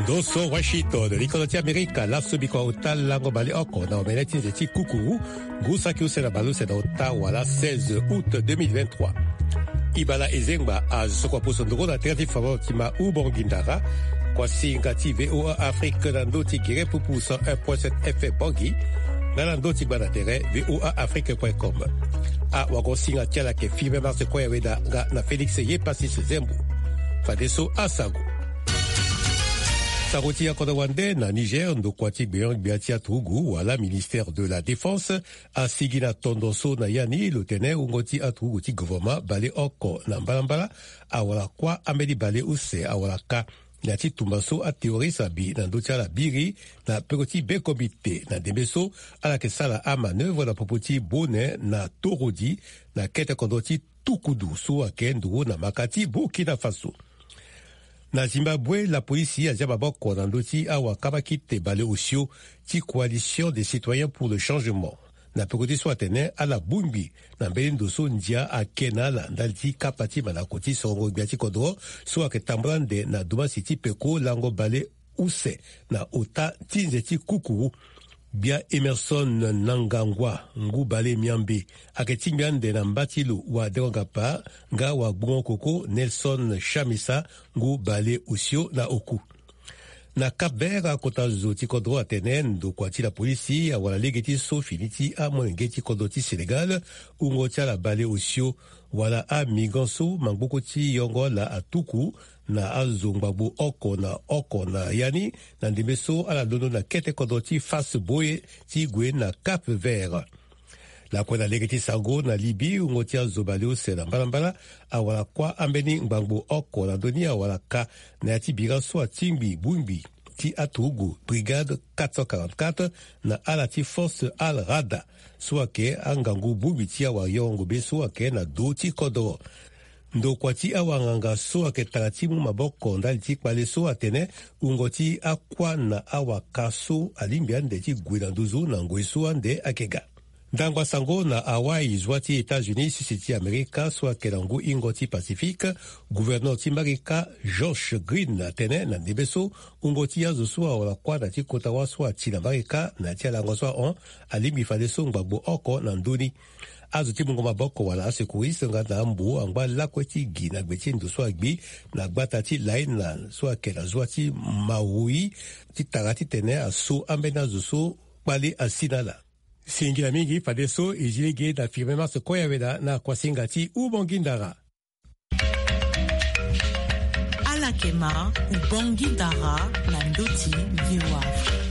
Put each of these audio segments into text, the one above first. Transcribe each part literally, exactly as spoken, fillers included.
Doso Washington, likolo ti Amerika, laso biko ota lango baleoko na omene ti nze ti kukuru, ngu saki use na baleuse na ota wala seize août deux mille vingt-trois. Ibala Ezengba azo kua poso ndoko na tere ti fama ti ma Ubongi Ndara, kua singa ti V O A Afrique na ndö ti gere pupu cent un point sept F M Bangui, nga na ndö ti gba na tere V O A Afrique point com. Awagosinga ti ala ayeke Firmin Martin Koyaweda nga na Félix Yepasis Zembo. Fadeso asango. Sango ti akodro wande na Niger, ndokua ti gbenyo-gbia ti aturugu wala ministère de la Défense asigi na tondo so na ya ni lo tene wungo ti aturugu ti gouvernement baleoko na mbalambala awara kuâ ambeni baleuse awara ka na ya ti tumba so aterroriste abi na ndö ti ala biri na peko ti be komite na ndembe so ala yeke sara amanœuvre na popo ti Bone na Torodi na kete kodro ti Tukudu so ayeke nduru na maka ti Burkina Faso. Na Zimbabwe, lapolisi azia maboko na ndö ti awakabakite baleosio ti Coalition des Citoyens pour le Changement. Na peko ti so atene ala bongbi na mbeni ndo so ndia ake na ala ndali ti kapa ti mandako ti sorongo gbia ti kodro so ayeke tambula ande na dumasi ti peko lango baleuse na ota ti nze ti kukuru. Gbia Emerson Mnangagwa, ngu balenyambe, ayeke tingbi ande na mba ti lo wadengo-ngapa nga wagbungo-koko Nelson Chamisa, ngu baleosio na oku. Na Cap-Vert, akota zo ti kodro atene ndokua ti lapolisi awara lege ti so fini ti amolenge ti kodro ti Sénégal, wungo ti ala baleosio, wala amigrant so mangboko ti yongo ala atuku na azo ngbangbo oko na oko na ya ni, na ndembe so ala londo na kete kodro ti Fass-Boye ti gue na Cap-Vert. Lakue na lege ti sango na Libye, wungo ti azo baleuse na mbalambala awara kuâ ambeni ngbangbo oko na ndö ni awara ka na ya ti bira so atingbi bongbi ti aturugu Brigade quatre cent quarante-quatre na ala ti Force Al Rada so ayeke angangu bongbi ti awayongo be so ayeke na do ti kodro. Ndokua ti awanganga so ayeke tara ti mu maboko ndali ti kpale so atene wungo ti akuâ na awaka so alingbi ande ti gue na nduzu na ngoi so ande ayeke ga. Ndangba sango na Hawaï, zua ti États-Unis, sese ti Amerika so ayeke na ngu hingo ti Pacifique, gouverneur ti Amerika Josh Green atene na ndembe so wungo ti azo so awara kuâ na ya ti kota wâ so ati na Amerika na ya ti alango so ahon alingbi fadeso ngbangbo oko na ndö ni. Azo ti mungo maboko wala asecouriste nga na ambo angba lakue ti gi na gbe ti ndo so agbi na gbata ti Laina so ayeke na zua ti Maui ti tara titene aso ambeni azo so kpale asi na ala. Singila mingi fadeso e zi lege na Firmin Martin Koyaweda na kuasinga ti Ubongi Ndara. Ala yeke ma Ubongi Ndara na ndö ti V O A Afrique.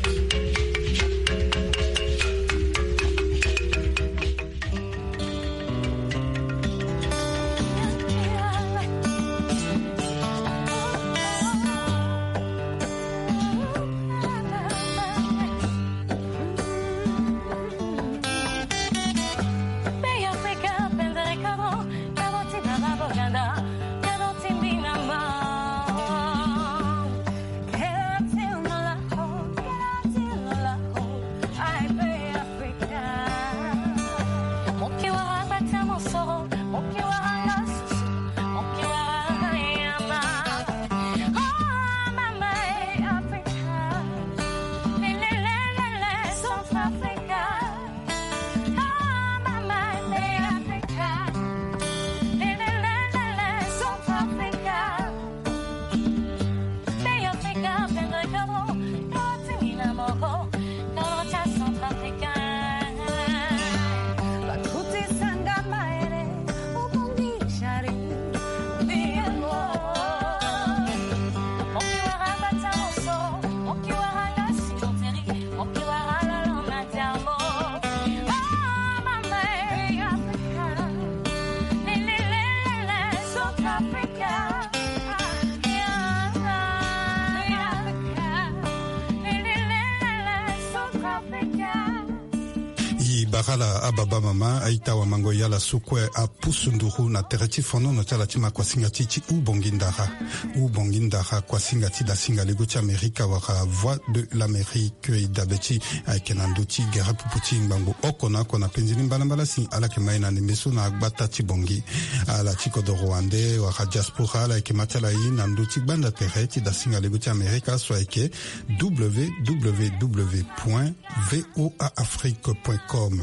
Bara ala ababa mama, a-ita wamango, e ala so kue apusu nduru na tere ti fonono ti ala ti ma kuasinga ti ti hubongi ndara. Hubongi ndara, kuasinga ti dasinga lego ti Amerika wala Voix de l'Amérique, e dabe ti e ayeke na ndö ti gere pupu ti ngbangbo oko na oko na penzi ni mbalambala si ala yeke ma e na ndembe so na gbata ti Bongi. Ala ti kodoro wande wala diaspora, ala yeke ma ti ala e na ndö ti gbanda tere ti dasinga lego ti Amerika so ayeke www point voa afrique point com.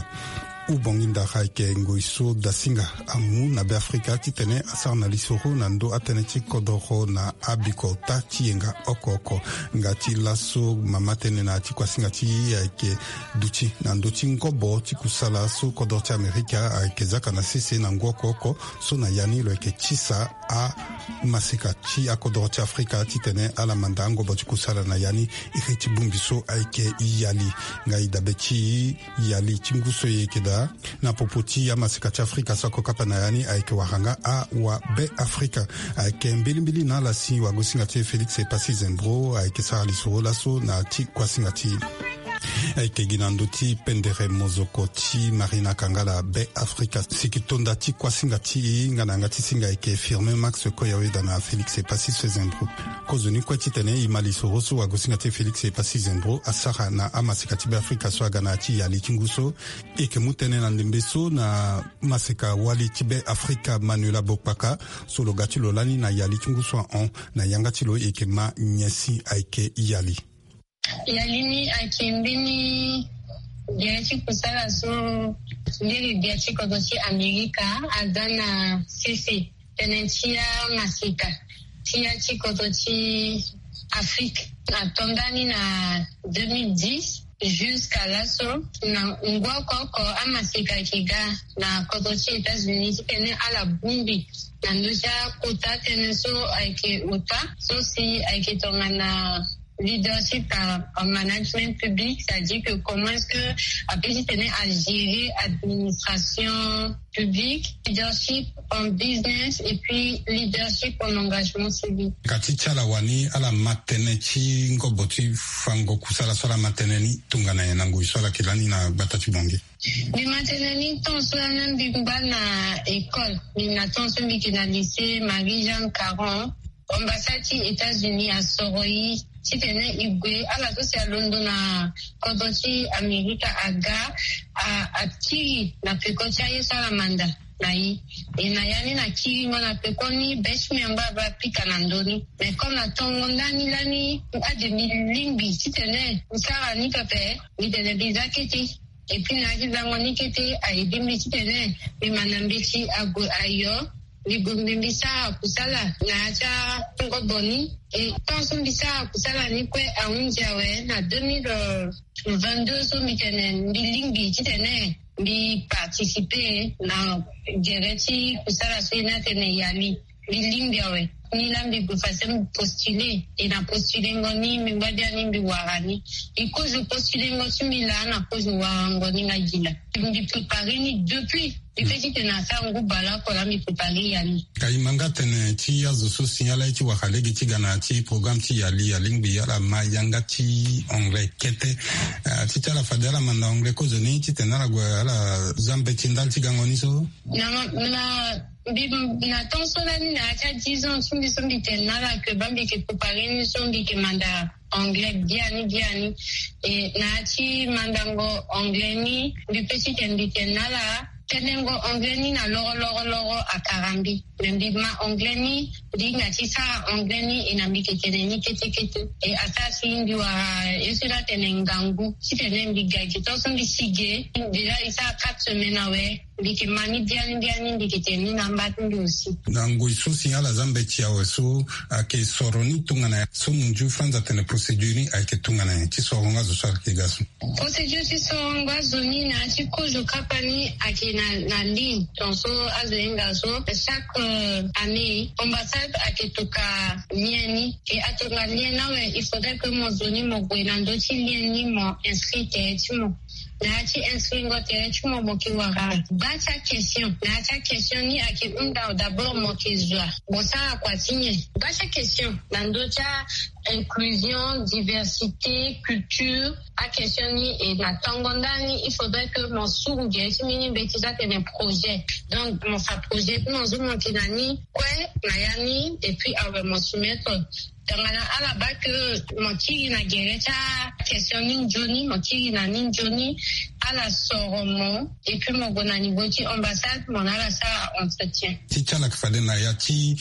Hubongi ndara ayeke ngoi so dasinga amu na Be Afrika titene asara na lisoro na ndö atënë ti kodoro na abikota ti yenga oko oko. Nga ti laso mama tënë na ya ti kuasinga ti e ayeke duti na ndö ti ngobo ti kusala so kodoro ti Amerika ayeke zaka na sese na ngu oko oko, so na ya ni lo yeke tisa amaseka ti akodoro ti Afrika titene ala manda angobo ti kusala na ya ni. Iri ti bongbi so ayeke yali. Nga e dabe ti yali ti ngu so e yeke daa na popo ti amaseka ti Afrika so akokapa na ya ni ayeke wara nga awa Be Afrika. Ayeke mbilimbili na ala si wagosinga ti e Félix Epassi Zembro ayeke sara lisoro laso na ya ti kuasinga ti e. Ayeke gi na ndö ti pendere mozoko ti Marina Kangala Be Afrika. Siki tonda ti kuasinga ti e nga na yanga ti singa ayeke Firmin Max Koyaweda na Félix Epassi Zembro. Kozoni kue titene e ma lisoro so wagosinga ti e Félix Epassi Zembro asara na amaseka ti Be Afrika so aga na ya ti yali ti ngu so. E yeke mu tënë na ndembe so na maseka wali ti Be Afrika Manuela Bokpaka, so lo ga ti lo lani na yali ti ngu so ahon. Na yanga ti lo e yeke ma nyen si ayeke yali. Yali ni ayeke mbeni gere ti kusala so ndiri bia ti kodro ti Amerika aga na sese tënë ti amaseka ti ya ti kodro ti Afrique. Ato ndani na deux mille dix jusqu'à laso, na ngu oko oko amaseka ayeke ga na kodro ti États-Unis titene ala bongbi na ndö ti akota tënë so ayeke ota so si ayeke tongana leadership en, en management public, c'est-à-dire que comment est-ce que ape titene agérer administration publique, leadership en business et puis leadership en engagement civique. Ka ti ti ala wani ala ma tënë ti ngobo ti fango kusala so ala ma tënë ni tongana nyen na ngoi so ala yeke lani na gbata ti Bongi? Mbi ma tënë ni temps so lani mbi ngba na école, mbi na temps so mbi yeke na lycée Marie Jeanne Caron. Ambassade ti États-Unis asoro e titene e gue, ala so si alondo na kodro ti Amerika aga, a, akiri na peko ti aye so ala manda na e. E na ya ni na kiringo na peko ni, be ti mbi angba aba apika na ndö ni. Mais comme na tongo ndani lani ade mbi lingbi titene mbi sara ni pepe, mbi tene mbi za kete. Et puis na ya ti zango ni kete, a aidé mbi titene mbi ma na mbeti ague ayo. Mbi gue mbi, mbi sara kusala na ya ti angobo ni. E tant so mbi sara kusala ni kue ahunzi awe, na deux mille vingt-deux so mbi tene mbi lingbi titene mbi participer na gere ti kusala so e na tene yali. Mbi lingbi awe. Ni laa mbi gue fadeso mbi postuler. E na postulengo ni mbi ngba biani mbi wara ni. E kozo postulengo ti mbi laa na kozo warango ni nga gi laa. Mbi préparer ni depuis. Mbi pe titene asara ngu bale oko laa mbi préparer yali. Ka e ma nga tene ti azo so si ala ye ti wara lege ti ga na ya ti programme ti yali, alingbi ala ma yanga ti anglais kete. Ah, ti ti ala fade ala manda anglais kozoni titene ala gue ala za mbeti ndali ti gango ni so. Na, na, mbi, na temps so lani na ya ti a dix ans ti mbi so mbi tene na ala que ba mbi yeke préparer ni so mbi yeke manda anglais biani biani. E na ya ti mandango anglais ni, mbi pe titene mbi tene na ala, tenengo anglais ni na loro loro loro akara mbi. Me mbi ma anglais ni, mbi hinga ti sara anglais ni, e na mbi yeke tene ni kete kete. E asara si mbi wara ye so la tene ngangu. Titene mbi ga gi tant so mbi si ge, déjà e sara quatre semaines awe. Mbi yeke ma ni biani biani, mbi yeke tene ni na amba ti mbi aussi. Na ngoi so si ala za mbeti awe so, ayeke soro ni tongana nyen? So munzu franz atene procédure ni ayeke tongana nyen ti soro nga zo so ala yeke ga so? Procédure ti soro nga zo ni na ya ti kozo kapa ni ayeke na, na ligne. Donc so azo hinga so, chaque, euh, année, ambassade ayeke toka lien ni. E atonga lien ni awe, il faudrait que mo zo ni mo gue na ndö ti lien ni mo inscrit tere ti mo. Na ya ti inscrit ngo tere ti mo, mo yeke wara gba ti a question. Na ya ti a question ni ayeke hunda d'abord mo yeke zo wa, mo sara kua ti nyen? Gba ti a question na ndö ti a inclusion, diversité, culture, akestion ni e na tongo ndani il faudrait que mo suru gere ti mbeni mbeti ti atene projet. Donc mo sa projet ti mo zo mo yeke na ni kue na ya ni et puis awe mo soumettre. Tongana ala baa ke mo kiri na gere ti akestion ni nzoni, mo kiri na ni nzoni, ala soro mo et puis mo gue na niveau ti ambassade mo na ala sara entretien. Ti ti ala yeke fade na ya ti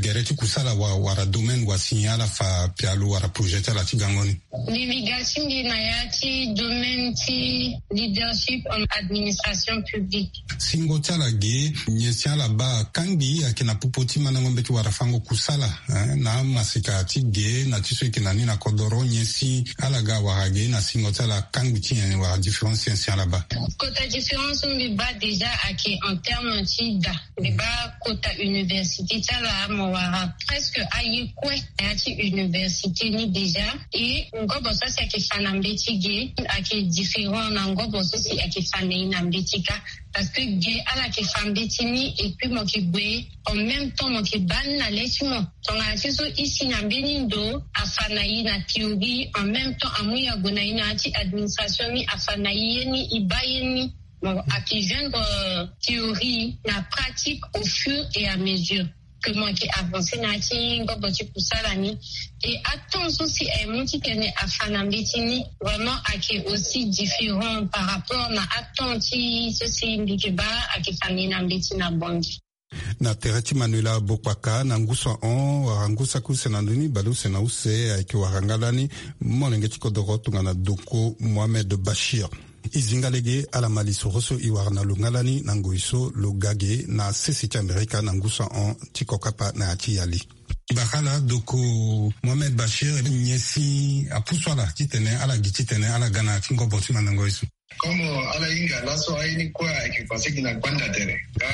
gere ti kusala wala domaine wa si ala fa pialo wala projet ti ala ti gango ni. Mbi ga ti mbi na ya ti domaine ti leadership en administration publique. Singo ti ala ge nyen si ala baa kangbi ayeke na popo ti mandango mbeti wala fango kusala na amasika ti ge na ti so eke na ni na kodoro nyen si ala ga wala ge na singo ti ala kangbi ti nyen wala différence nyen si ala baa? Kota différence mbi baa déjà ayeke en terme ti da. Mbi baa kota université ti ala mo wara presque aye kue na ya ti université ni déjà. E ngobo so si ayeke fa na mbeti ge ayeke différent na ngobo so si ayeke fa na ye na mbeti kâ. Parce que ge ala yeke fa mbeti ni et puis mo yeke gue en même temps mo yeke baa ni na le ti mo. Tongana ti so isi na mbeni ndo afa na ye na théorie en même temps amu ye ague na ye na ya ti administration ni afa na ye ye ni e baa ye ni. Mo ayeke joindre théorie na pratique au fur et à mesure que mo yeke avancer na ya ti ngobo ti kusala ni. Et atemps so si aye mu titene afa na mbeti ni vraiment ayeke aussi différent par rapport na atemps ti so si mbi yeke baa ayeke fa na ye na mbeti na Bangui. Na tere ti Manuela Bokpaka na ngu so ahon wala ngu saki use na ndö ni baleuse na use ayeke wara nga lani molenge ti kodoro tongana Doko Mohamed Bachir. E zi nga lege ala ma lisoro so e wara na lo nga lani na ngoi so lo ga ge na sese ti Amerika na ngu so ahon ti kokapa na ya ti yali. Bakala Doko Mohamed Bachir, nyen si apusu ala titene ala gi titene ala ga na ya ti ngobo ti mandango ye so? Comme ala hinga laso aye ni kue ayeke passé gi na gbanda tere nga.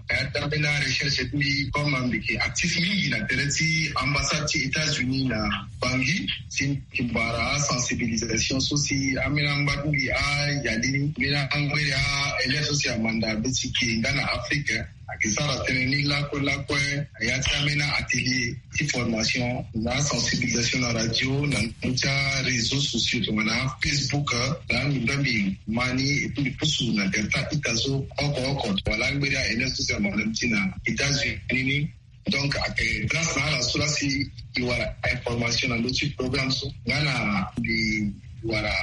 Aya ti ambeni arecherche ti mbi comme mbi yeke actif mingi na tere ti ambassade ti États-Unis na Bangui si mbi yeke bara asensibilisation so si ambeni angba ti mbi ayali ni mbeni angbere aélève so si amanda be ti ge nga na Afrique. Ayeke sara tënë ni lakue lakue na ya ti ambeni atelier ti formation na asensibilisation na radio na ndö ti aréseau sociaux tongana aFacebook. Na mbi mbi ma ni et puis mbi pusu na tere ti a-ita so oko oko wala angberi aélève so si amanda ti na États-Unis ni. Donc ayeke grâce na ala so laa si e wara information na ndö ti programme so nga na mbi wara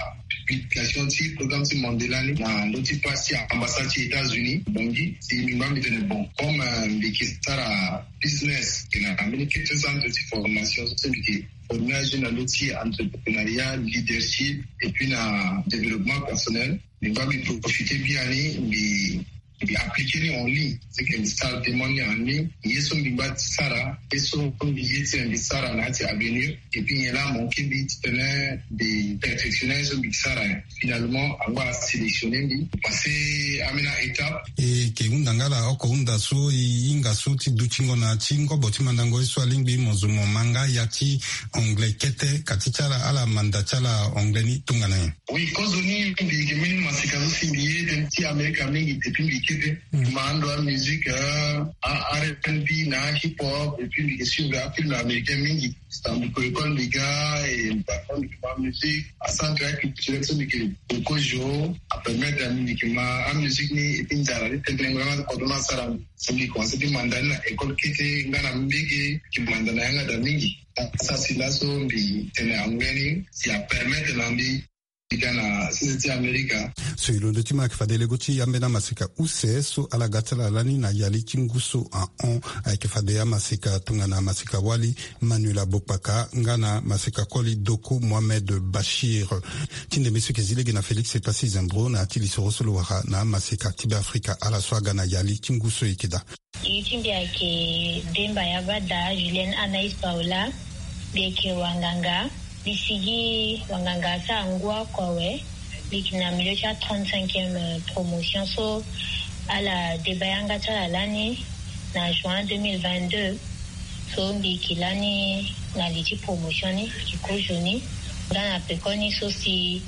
publication ti programme ti Mandela ni na ndö ti page ti ambassade ti États-Unis Bangui. Si mbi ngba mbi tene bon comme mbi yeke sara business yeke na mbeni kete centre ti formation so mbi yeke former ajeune na ndö ti entrepreneuriat, leadership et puis na développement personnel. Mbi ngba mbi profiter biani mbi mbi appliquer ni en ligne. C'est que mbi sara demande ni en ligne. Ye so mbi ngba ti sara ye so mbi ye titene mbi sara na ya ti avenir et puis nyen laa manquer mbi titene mbi perfectionner ye so mbi sara. Finalement angba asélectionner mbi passer ambeni a-étape. E yeke hunda nga ala oko hunda so e hinga so ti dutingo na ya ti ngobo ti mandango ye so alingbi mo zo mo ma nga ya ti anglais kete ka ti ti ala ala manda ti ala anglais ni tongana nyen? Oui, kozo ni mbi yeke mbeni masika so si mbi ye tënë ti Amerika mingi depuis mbi kete. Mbi ma ando amusique a R and B na hip hop et puis mbi yeke suivre afilm américain mingi. Stambuko école mbi ga et parfois mbi yeke ma musique acentre aculturel so mbi yeke kozo apermettre na mbi mbi yeke ma amusique ni et puis nzara ti tënë nga na kodro ni asara mbi. Si mbi commencer ti manda ni na école kete nga na mbege mbi yeke manda na yanga daa mingi. Asara si laso mbi tene anglais ni si apermettre na mbi. Ga na sese ti Amerika. So e londo ti ma ayeke fade lego ti ambeni amaseka use so ala ga ti ala lani na yali ti ngu so ahon ayeke fade amaseka tongana amaseka wali Manuela Bokpaka nga na maseka koli Doko Mohamed Bachir. Ti ndembe so yeke zi lege na Félix Epassi Zembro na ya ti lisoro so lo wara na amaseka ti Beafrika ala so aga na yali ti ngu so e yeke daa. Iri ti mbi ayeke Demba Yabada Julienne Anaïs Paola. Mbi yeke wanganga. Mbi sigi wanganga asara ngu oko awe. Mbi yeke na milieu ti a trente-cinquième promotion so ala deba yanga ti ala lani na juin deux mille vingt-deux. So mbi yeke lani na li ti promotion ni mbi yeke kozo ni. Nga na pekoni so si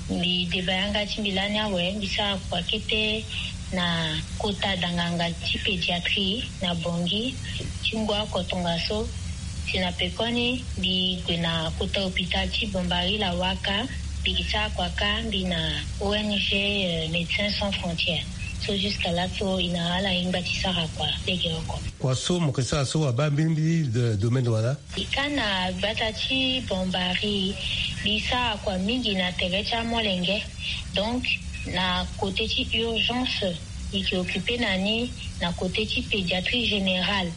mbi deba yanga ti mbi lani awe mbi sara kua kete na kota danganga ti pédiatrie na Bangui ti ngu oko tongaso. Si na pekoni mbi gue na kota hôpital ti Bombari Lawaka, mbi gi sara kua ka mbi na O N G, euh, Médecins Sans Frontières. So jusqu'à là so e na ala e ngba ti sara kua lege oko. Kua so mo ke sara so abaa mbirimbiri de domaine wala? E ka na gbata ti Bombari, mbi sara kua mingi na tere ti amolenge. Donc na côté ti urgence, e ke occuper na ni na côté ti pédiatrie générale.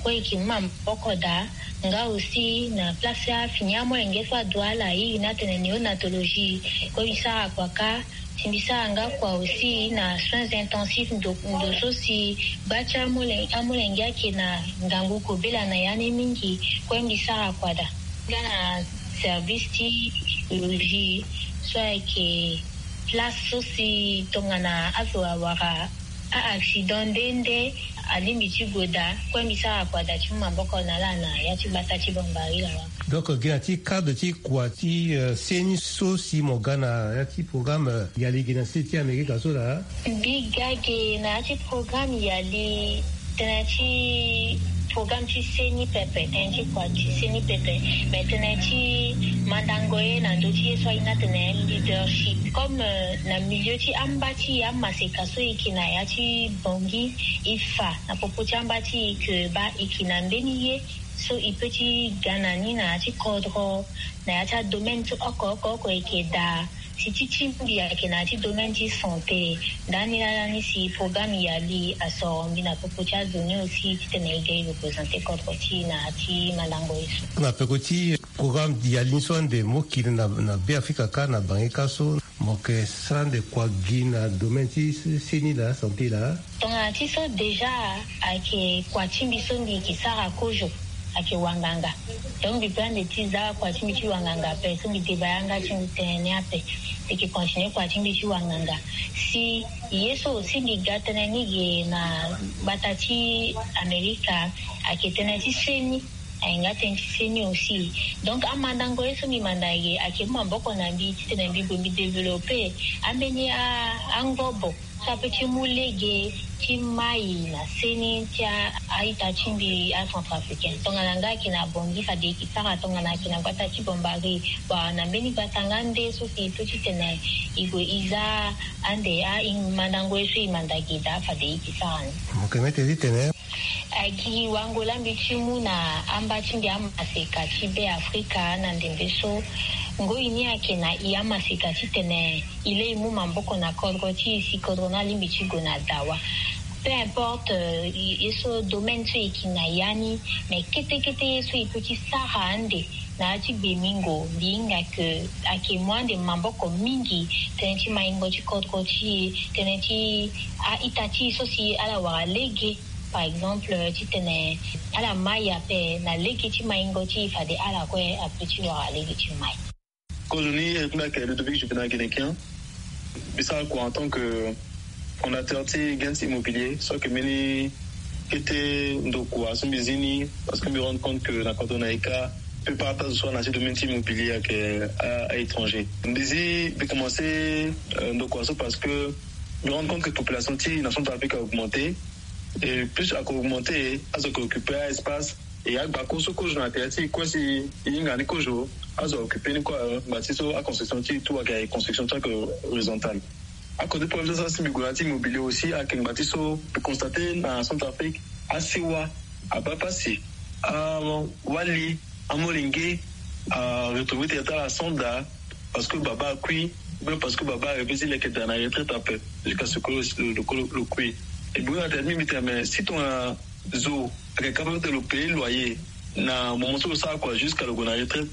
Kue e ke mu maboko daa. Nga aussi na place ti afini amolenge so adu ala iri ni atene néonatologie. Kue mbi sara kua ka. Si mbi sara nga kua aussi na soins intensifs, ndo, ndo so si gba ti amole, amolenge ayeke na ngangu kobela na ya ni mingi. Kue mbi sara kua daa. Nga na service ti urologie so ayeke place so si tongana azo awara a-accident nde nde alingbi ti gue daa. Kue mbi sara kua daa ti mu maboko na ala na ya ti gbata ti Bombari Lawaka. Donc gi na ti cadre ti kua ti, euh, seni so si mo ga na ya ti programme, euh, yali gi na state ti Amerika so laa? Mbi ga ge na ya ti programme yali, tënë ti programme ti seni pepe, tënë ti kua ti seni pepe. Mais tënë ti mandango ye na ndö ti ye so aye ni atene leadership. Comme, euh, na milieu ti amba ti e amaseka so e yeke na ya ti Bangui, e fa na popo ti amba ti e ke baa e yeke na mbeni ye so e peut ti ga na ni na ya ti kodro, na ya ti adomaine so oko oko oko e yeke daa. Si ti ti mbi ayeke na ya ti domaine ti santé. Ndani laa ni si programme yali asoro mbi na popo ti azo ni aussi titene e ga e représenter kodro ti e na ya ti mandango ye so. Na peko ti programme yali ni so ande mo kiri na, na Be Afrika kâ, na Bangui kâ so, mo yeke sara ande kua gi na domaine ti seni laa, santé laa? Tongana ti so déjà ayeke kua ti mbi so mbi yeke sara kozo, ayeke wanganga. Donc mbi peut ande ti za kua ti mbi ti wanganga ape, so mbi deba yanga ti mbi tënë ni ape. Mbi yeke continuer kua ti mbi ti wanganga. Si ye so aussi mbi ga tënë ni ge na gbata ti Amerika, ayeke tënë ti seni. Aye nga tënë ti seni aussi. Donc amandango ye so mbi manda ge ayeke mu maboko na mbi titene mbi gue mbi développer ambeni a, angobo so apeut ti mu lege ti mai na seni ti a, a-ita ti mbi acentrafricain. Tongana nga ayeke na Bangui fade e yeke sara, tongana ayeke na gbata ti Bombari, bon, na mbeni gbata nga nde so si e peut titene e gue e za ande a, e mandango ye so e manda ge daa fade e yeke sara ni. Mo yeke mete titene Agi wango laa mbi ti mu na amba ti mbi amaseka ti Be Afrika na ndembe so. Ngoi ni ayeke na e amaseka titene e lei e mu maboko na kodro ti e si kodro ni alingbi ti gue na dawa. Peu importe, euh, ye so domaine so e yeke na ya ni, mais kete kete ye so e peut ti sara ande na ya ti gbemingo, mbi hinga ke ayeke mu ande maboko mingi, tënë ti maingo ti kodro ti e, tënë ti a-ita ti e so si ala wara lege. Par exemple, titene ala mai ape na lege ti maingo ti e, fade ala kue apeut ti wara lege ti mai. Kozoni e kunda ayeke Ludovic Juvénal Guinéquin. Mbi sara kua en tant que fondateur ti Gains Immobilier, so ayeke mbeni kete ndokua so mbi zi ni, parce que mbi rendre compte que na kodro na e kâ, plupart ti azo so ana ti domaine ti immobilier ayeke a, a-étranger. Mbi zi, mbi commencé, euh, ndokua so parce que mbi rendre compte que population ti e na Centrafrique a augmenté. Et plus ayeke augmenté, azo ayeke occupé a-espace. Et agbako so kozo na tere ti e kue si e hinga ni kozo, azo ayeke occupé ni kue, euh, ngba ti so a-construction ti e tout ayeke construction ti ayeke horizontale. Akote problème so asi mbi gue na ya ti immobilier aussi ayeke ngba ti so mbi constaté na Centrafrique, asewa abaa pasi, awali, amolenge aretrouvé tere ti ala sans daa, parce que baba akui, ou bien parce que baba arêvé ti leke daa na retraite ape, jusqu'à ce que lo, lo, lo, lo kui. E bongbi na tere ti mbi, mbi tene, mais si tongana zo ayeke capable ti lo payer loyer na moment so lo sara kua jusqu'à lo gue na retraite,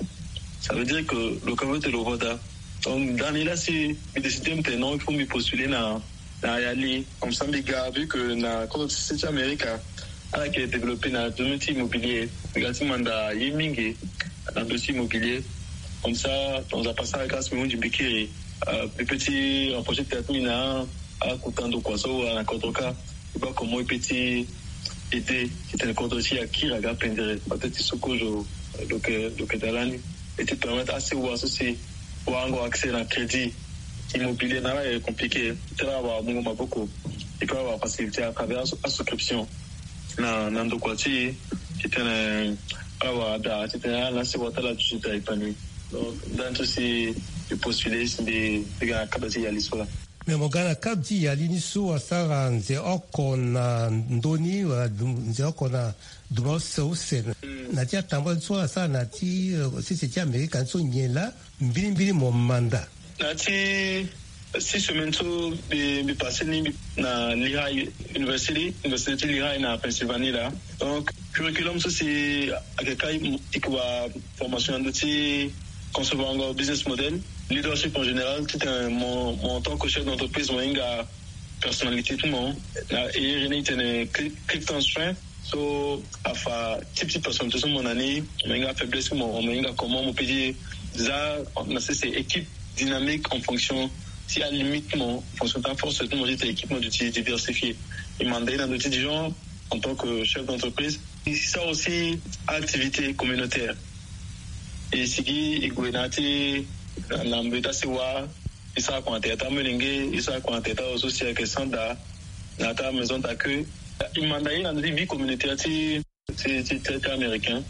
ça veut dire que lo capable ti lo voda. Donc ndani laa si mbi décidé mbi tene non, il faut mbi postuler na, na yali. Comme ça mbi ga, vu que na kodro ti se ti Amerika ala yeke développé na domaine ti immobilier, mbi ga ti manda ye mingi na ndö ti immobilier. Comme ça, dans un passage, grâce mbi hunzi mbi kiri, euh, mbi peut ti rapproché tere ti mbi na akota ndokua so awara na kodro kâ. E baa comment e peut ti aidé titene kodro ti e akiri aga pendere, peut-être ti so kozo lo yeke, lo yeke daa lani. E ti permettre asewa so si warango accès na crédit immobilier na ala ayeke compliqué, ti ala wara mungo maboko, e peut ala wara facilité à travers aso-, asouscription na, na ndokua ti e, titene Awa ada titene ala si wata la duti da épanoui. Donc nda ni so si e postule si mbi ga na kaba ti yali so la. Mais mo ga na kaba ti yali ni so asara nze oko na ndoni wala nze oko na duma use use na ti atambula ni so asara na ti sese ti amerika ni so nyen la? Mbirimbiri mo manda na ti six semaines so mbi passe ni na Lehigh University, université ti Lehigh na Pennsylvanie la. Donc curriculum so si ake kai ikuba formation na ndo ti concevoir ngo business model, leadership en général titene mo en tant que chef d'entreprise mo hinga personnalité ti mo na iri ni titene Clifton Strength. So afa ti ti personne ti so mo na ni mo hinga faiblesse ti mo mo hinga comment mo peut dire za na sese équipe dynamique en fonction ti alimite ti mo en fonction ti aforce ti mo ti tene équipe mo duti diversifié. E manda ye na ndo ti dijon en tant que chef d'entreprise. E sara aussi activité communautaire. E sigi e gue na ti na mbe ti asiwa. E sara kua na tere ti amolenge. E sara kua na tere ti azo so si ayeke sanda na ta maison d'accueil. E manda ye na ndö ti vie communautaire ti ti ti ti américain.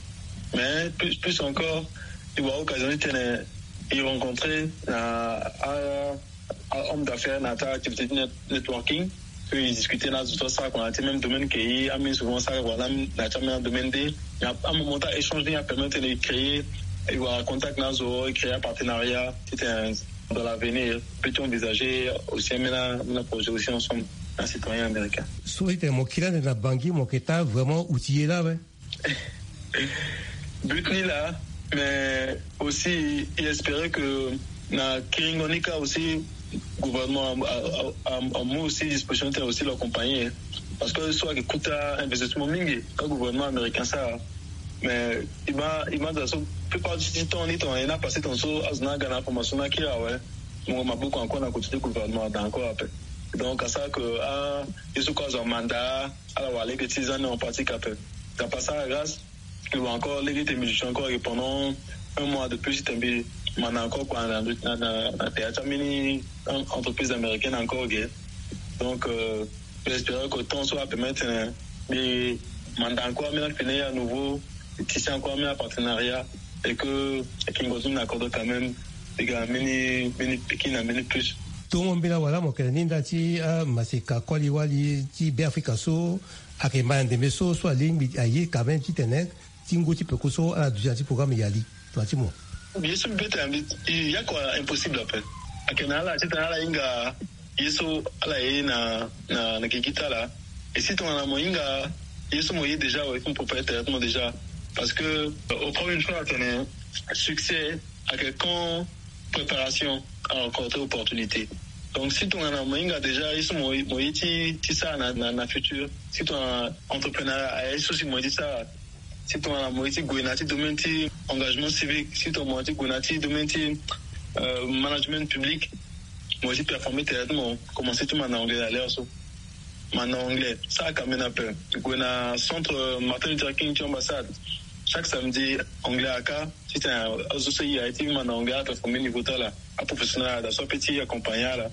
Mais plus plus encore e wara occasion ti tene e rencontre na a homme d'affaires na ta activité ti networking. So e discuter na azo so asara kua na ti même domaine ke e ameni souvent asara kua na ti ameni adomaine nde na amoment ti a échange ni apermettre tene e créer e wara contact na azo e créer apartenariat titene dans l'avenir peut-on envisager aussi ameni ameni aprojet aussi ensemble na citoyen américain. So ete mo kiri ande na bangi mo yeke taa vraiment outillé la awe. But ni la. Mais aussi e espérer que na kiringo ni ka aussi gouvernement amu aussi disposition ti tene aussi l'accompagner. Parce que so ayeke kuta investissement mingi ka gouvernement américain asara. Mais e ma e ma za so plupart ti temps ni tongana e na passé tongana so azo ni aga na information ni akiri awe. Mo maboko encore na côté ti gouvernement ada encore ape. Donc asara que a ye so kue azo amanda ala wara lege ti za ni en pratique ape. Dapa sara grâce e wara encore lege ti tene mbi duti encore ayeke pendant un mois de plus ti tene mbi manda encore kua na na na tere ti ambeni entreprise américaine encore ge. Donc euh, mbi espérer que temps so apermettre tene mbi manda encore ambeni akpene ye à nouveau. Tisi encore ambeni apartenariat et que ayeke ngonzo ni na kodro quand même. Mbi ga na mbeni mbeni pikin na mbeni plus. Tongo mbeni awala mo yeke na ni nda ti amaseka koli wali ti Beafrika so ayeke ma na ndembe so so alingbi aye quand même titene ti ngu ti peko so ala duti na ti programme yali. Tongana ti mo ye so mbi peut tene mbi ya kua impossible ape. Ayeke na ala titene ala hinga ye so ala ye na na na gigi ti ala. Et si tongana mo hinga ye so mo ye déjà awe ti mo préparer tere ti mo déjà. Parce que au premier choix atene succès ayeke quand préparation a rencontrer opportunité. Donc si tongana mo hinga déjà ye so mo ye ti ti sara na na futur, si tongana entrepreneur aye so si mo ye ti sara, si tongana mo ye ti gue na ti domaine ti engagement civique, si tongana mo ye ti gue na ti domaine ti management public, mo ye ti performer tere ti mo commencer ti manda anglais na l'heure so. Manda anglais sara kambi na pe. Gue na centre Martin Luther King ti ambassade chaque samedi. Anglais aka titene azo so e aye ti manda anglais ala performer niveau ti ala. Aprofessionnel ala da so ape ti accompagner ala.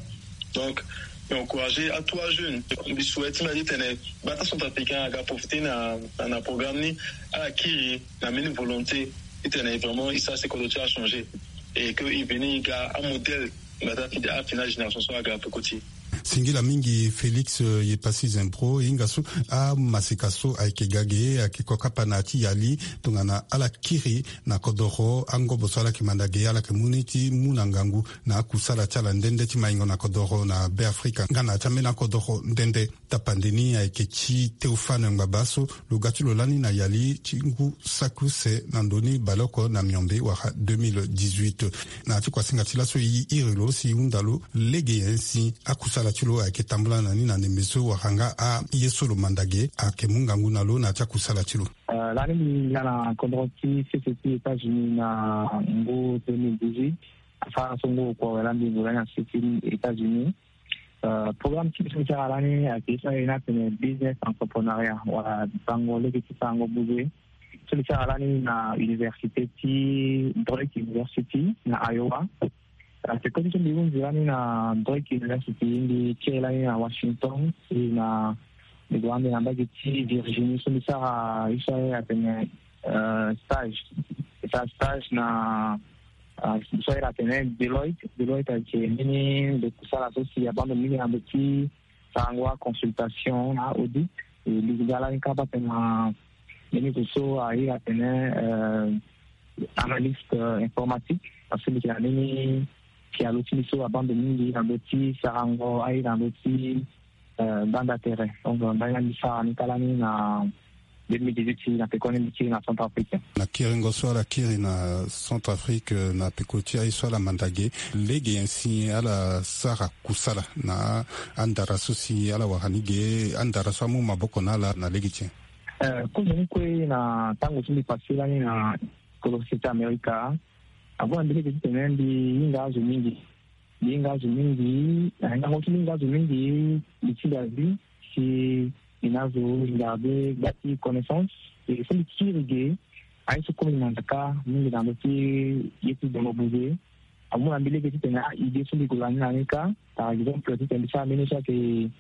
Donc mbi encourager atout ajeune. Mbi souhaite ti mbi titene bata centrafricain aga profiter na na programme ni ala kiri na mbeni volonté titene vraiment e sara si kodro ti ala changer et que e veni e ga amodèle. Nga ti afini afini na génération so aga peko ti e. Singila mingi Félix Yepasi Zempro. E hinga so amaseka so ayeke ga ge ayeke kokapa na ya ti yali tongana ala kiri na kodoro angobo so ala yeke manda ge ala yeke mu ni ti mu na ngangu na akusala ti ala nde nde ti maingo na kodoro na Beafrika nga na ya ti ambeni akodoro nde nde. Tapande ni ayeke ti Théophane Ngbaba so lo ga ti lo lani na yali ti ngu saki use na ndoni baleoko na miombe wala deux mille dix-huit. Na ya ti kuasinga ti laso e iri lo si e hunda lo lege nyen si akusala ti lo ayeke tambula na ni na ndembe so wala nga aye so lo manda ge ayeke mu ngangu na lo na ya ti akusala ti lo. Lani mbi hinga na kodro ti sese ti États-Unis na ngu deux mille dix-huit. Asara so ngu oko awe lani mbi gue lani na sese ti États-Unis. Programme ti biso ti sara lani ayeke ye so ayeke ni atene business entrepreneuriat wala bango lege ti sarango buze. So mbi sara lani na université ti Drake University na Iowa. Ayeke kote so mbi hunzi lani na Drake University mbi kiri lani na Washington si na mbi gue ande na mbage ti Virginie so mbi sara ye so ayeke atene stage. Esa stage na so ayeke tene Deloitte. Deloitte ayeke mbeni ndo kusala so si abando mingi na ndo ti sarango aconsultation na audit. E ligi nga lani kâ baa tena mbeni zo so airi atene analyste informatique, parce que mbi yeke na mbeni pialo ti mbi so abando mingi na ndo ti sarango airi na ndo ti banda tere. Donc ndali na mbi sara ni kâ lani na deux mille dix-huit si na pekoni mbi kiri na Centrafrique. Na kiringo so ala kiri na Centrafrique na peko ti aye so ala manda ge, lege nyen si ala sara kusala na andara so si ala wara ni ge, andara so amu maboko na ala na lege ti nyen? Kozoni kue na tango so mbi pase lani na kolo sese ti Amerika, ague na mbi lege titene mbi hinga azo mingi. Mbi hinga azo mingi, na hingango ti mbi hinga azo mingi, mbi ti Asie, si mbi na azo garder gba ti connaissance. E so mbi kiri ge, aye so kue mbi manda kâ mingi na ndo ti ye ti dongo buze. Amu na mbi lege titene a-idée so mbi gue lani na ni kâ, par exemple titene mbi sara mbeni so ayeke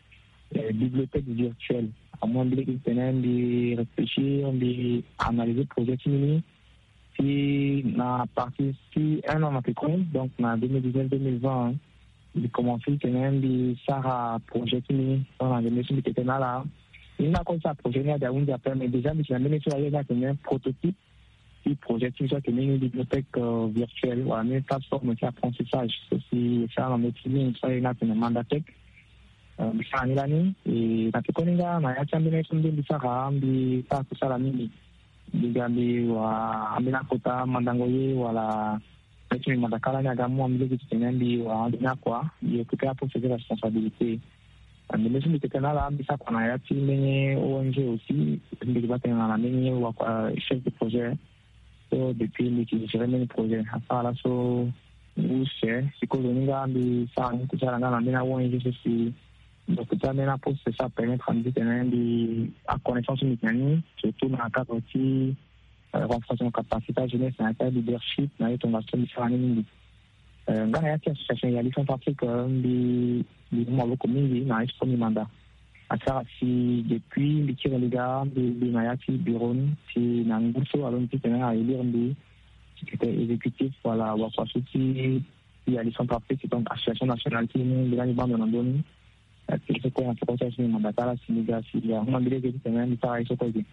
bibliothèque virtuelle. Amu na mbi lege titene mbi réfléchir, mbi analyser projet ti mbi ni. Si na partir ti un an na pekoni, donc na deux mille dix-neuf deux mille vingt, mbi commencé titene mbi sara projet ti mbi ni. Donc na ndembe so mbi tene na ala, mbi hinga kue ti sara projet ni ade ahunzi ape, mais déjà mbi si na mbeni so aye ni atene prototype ti projet ti mbi so ayeke mbeni bibliothèque virtuelle wala mbeni plateforme ti apprentissage so si e sara na ndo ti mingi so aye ni atene Mandatech. Mbi sara ni lani e na pekoni nga na ya ti ambeni aye so mbi sara, mbi sara kusala mingi. Mbi ga mbi wara ambeni akota mandango ye wala aye ti mbi manda kâ lani aga amu na mbi lege titene mbi wara ambeni akua, mbi occuper aposte ti responsabilité. Ndembe so mbi tene na ala, mbi sara kua na ya ti mbeni O N G aussi. Mbi yeke baa tene na mbeni wakua chef de projet. So depuis mbi yeke gérer mbeni projet asara laso use. Si kozoni nga mbi sara ni kusala nga na mbeni a-O N G so si mbi occuper ambeni aposte so apermettre na mbi titene mbi, aconnaissance so mbi yeke na ni surtout na cadre ti renforcement capacité ya jeunesse na ya ti aleadership na ye tongaso mbi sara ni mingi. Nga na ya ti association Yali Centrafrique, mbi mbi mu maboko mingi na ye so mbi manda. Asara si depuis mbi kiri mbi ga mbi na ya ti bureau ni si na ngu so alondo titene a-élire mbi secrétaire exécutif wala wakua so ti Yali Centrafrique, donc association nationale ti mu mbi lani bando na ndö ni. Ti so kue na peko ti aye so mbi manda kâ la si mbi ga si mbi ahon na mbi lege titene mbi sara ye so kue ge.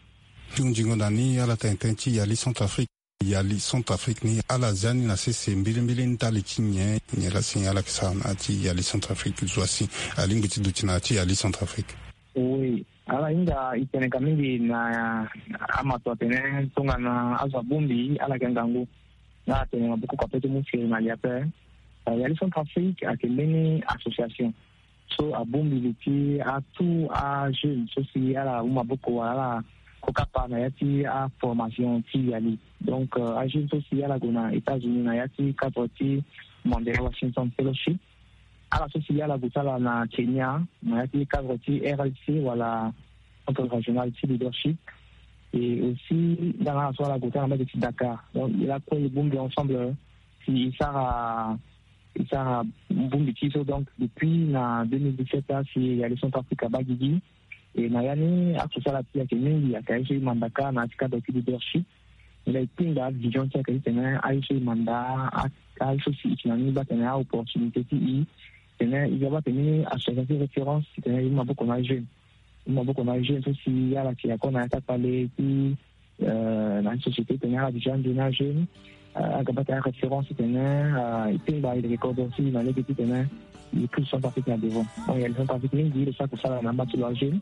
Ti hunzingo na ni ala tene tënë ti Yali Centrafrique. Yali Centrafrique ni ala zia ni na sese mbilimbili ndali ti nyen? Nyen la si ala yeke sara na ya ti Yali Centrafrique? Zo asi alingbi ti duti na ya ti Yali Centrafrique. Oui, ala hinga e tene ka mingi na amato atene tongana azo abongbi ala yeke ngangu. Nga atene maboko kua pe ti mu firi na li ape. Yali Centrafrique ayeke mbeni association so abongbi li ti atout ajeune so si ala mu maboko wala ala kokapa na ya ti aformation ti Yali. Donc ajeune so si ala gue na États-Unis na ya ti cadre ti Mandela Washington Fellowship, ala so si ala gue ti ala na Kenya na ya ti cadre ti R L C wala Centre Régional ti Leadership. Et aussi nga na ala so ala gue ti ala na mbage ti Dakar. Donc lakue e bongbi ensemble si e sara e sara bongbi ti e so. Donc depuis na deux mille dix-sept la si Yali Centrafrique abaa gigi. E na ya ni akusala ti e ayeke mingi, ayeke aye so e manda kâ na ya ti cadre ti leadership. Nilaa e kpingba avision ti e ayeke titene aye so e manda, aye so si e si na ni baa tene aopportunité ti e titene e ga baa tene ni association ti référence titene e mu maboko na ajeune. E mu maboko na ajeune so si ala yeke akô na ya ti akpale ti na société titene ala déjà nzoni ajeune. Aga baa tene aréférence titene e kpingba e leke kodro ti e na lege titene e pousse Centrafrique na devant. Donc Yali Centrafrique mingi e lo sara kusala na amba ti lo ajeune.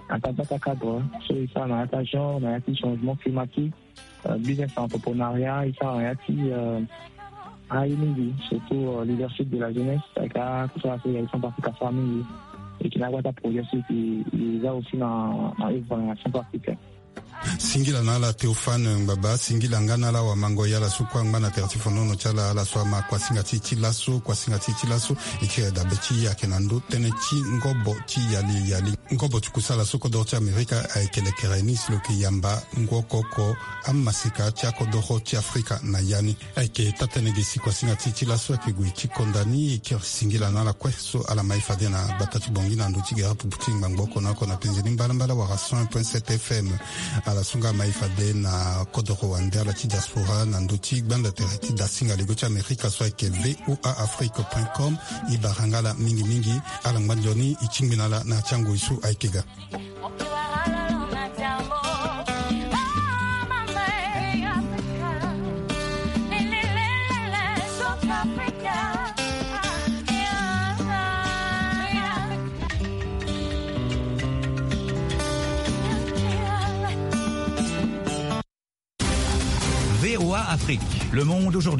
Ata bata cadre so e sara na ya ti agenre na ya ti changement climatique, business entrepreneuriat, e sara na ya ti aye mingi surtout leadership de la jeunesse. Ayeke akusala so Yali Centrafrique asara mingi. E yeke na agbata projet so e za aussi na na œuvre na Centrafrique. Singila na ala Théophane Ngbaba, singila nga na ala wamango yala so kue angba na tere ti fonono ti ala, ala so ama kuasinga ti e ti laso, kuasinga ti e ti laso. E kiri dabe ti e ayeke na ndö tënë ti ngobo ti Yali Yali. Ngobo ti kusala so kodoro ti Amerika ayeke lekere ni si lo yeke yamba ngokoko amaseka ti akodoro ti Afrika na ya ni. Ayeke taa-tënë ge si kuasinga ti e ti laso ayeke gue ti konda ni. E kiri singila na ala kue so ala ma e fade na gbata ti Bangui na ndö ti gere apupu ti ngbangbo oko na oko na penze ni mbalambala wala cent un point sept F M. Asunga mai fade na kodoro wande ala ti diaspora na ndö ti gbanda tere ti dasinga lego ti Amerika so ayeke V O A Afrique point com. E bara nga ala mingi mingi. Ala ngba nzoni e tingbi na ala na ya ti angoi so ayeke ga. V O A Afrique, le monde aujourd'hui.